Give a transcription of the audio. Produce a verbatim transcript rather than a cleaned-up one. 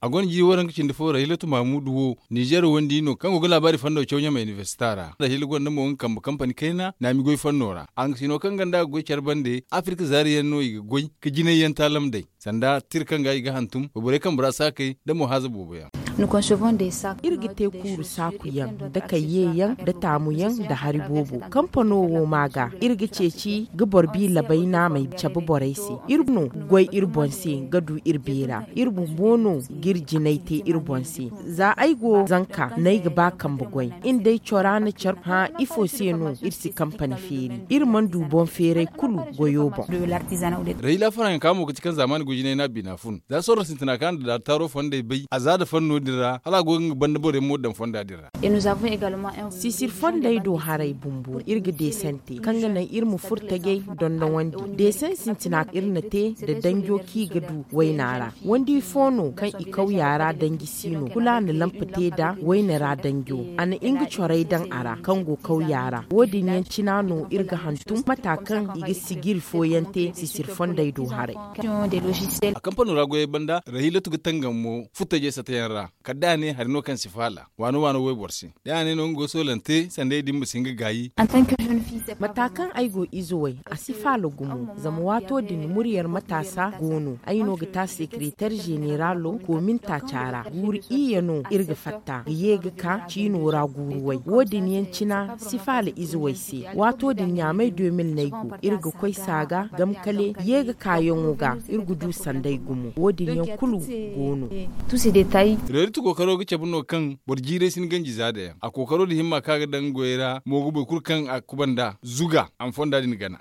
A gonda jiiri waranka cindi fo ra hilotu mahamudu wo, nizer wandi no kaŋ go ga laabaari fando caw ɲamay inibersita ra da hila gonda mo nga kambe kampani kayna naami goy fanno ra. Araŋ ga si no kaŋ ganda ga goy care bande afirka zaari yaŋ no i ga goy ka jinay yaŋ taalam day sanda tira kaŋ ga i ga hantum wayborey kambe ra saakey nda mo haaza boobo yaŋ. Iri ga te kuuru saaku yaŋ nda kayye yaŋ nda taamu yaŋ nda hari boobo. Kampano wo ma ga iri ga ceeci ga boro bi labay naamey cabe borey se. Iri no ga goy iri boŋ se ga du iri beera. Iri bumbo no ga iri jinay te iri boŋ se. Za ay go zanka no ay ga ba kambe goy. Iri day cora na care hã ifo se no iri si kampani feeri? Iri mana du boŋ feeray kulu goyo boŋ. Rahila faranka mo ga ti kaŋ zaamaani gujinay no a bina fun za sorro sintina kaŋ a na daari taaro fondey bay a za nda fanno din ra hala a go ga nga banda boro yaŋ mo daŋ fonda din ra. Sisir fondey do haray bumbo iri ga deesante kaŋ ga naŋ iri ma furo tajey dondonwandi. Deesan sintina iri na te nda danjo kaŋ i ga du wayna ra. Wandi fo no kaŋ i kawya ra danji si no kulu a na lampa te nda wayna ra danjo. A na nga corey daŋ a ra kaŋ go kawya ra wo- din yaŋ cina no iri ga hantum mata kaŋ i ga sijiri fooyaŋ te sisir fondey do haray. A kampano ra goyey banda rahilatu ga tangam mo furo tajey sata yaŋ ra kala day a ne hari no kaŋ si faala waano waano wayboro se. Day a ne no nga go soolante sanday din ma si hin ga gaayi. Mata kaŋ ay go ize way a si faala gumo zama waato din muryer mataasa go no ay no ga te a sekereter zeneralo koomin taaca ra guuru iyye no iri ga fatta ga ye ga ka ciino ra guuru way wo- din yaŋ cina si faala ize way se. Waato din ɲaamay deux mille no ay go iri ga koy saaga gamkale ye ga kaayaŋo ga iri ga du sanday gumo wo- din yaŋ kulu go no. Reeriti kookaro ga cabe no kaŋ boro jiiray si ni ganji za da yaŋ a kookaro din himma kaŋ a ga daŋ goyey ra mo ga boro kulu kaŋ a kuba nd'a zuga a ma fonda din gana.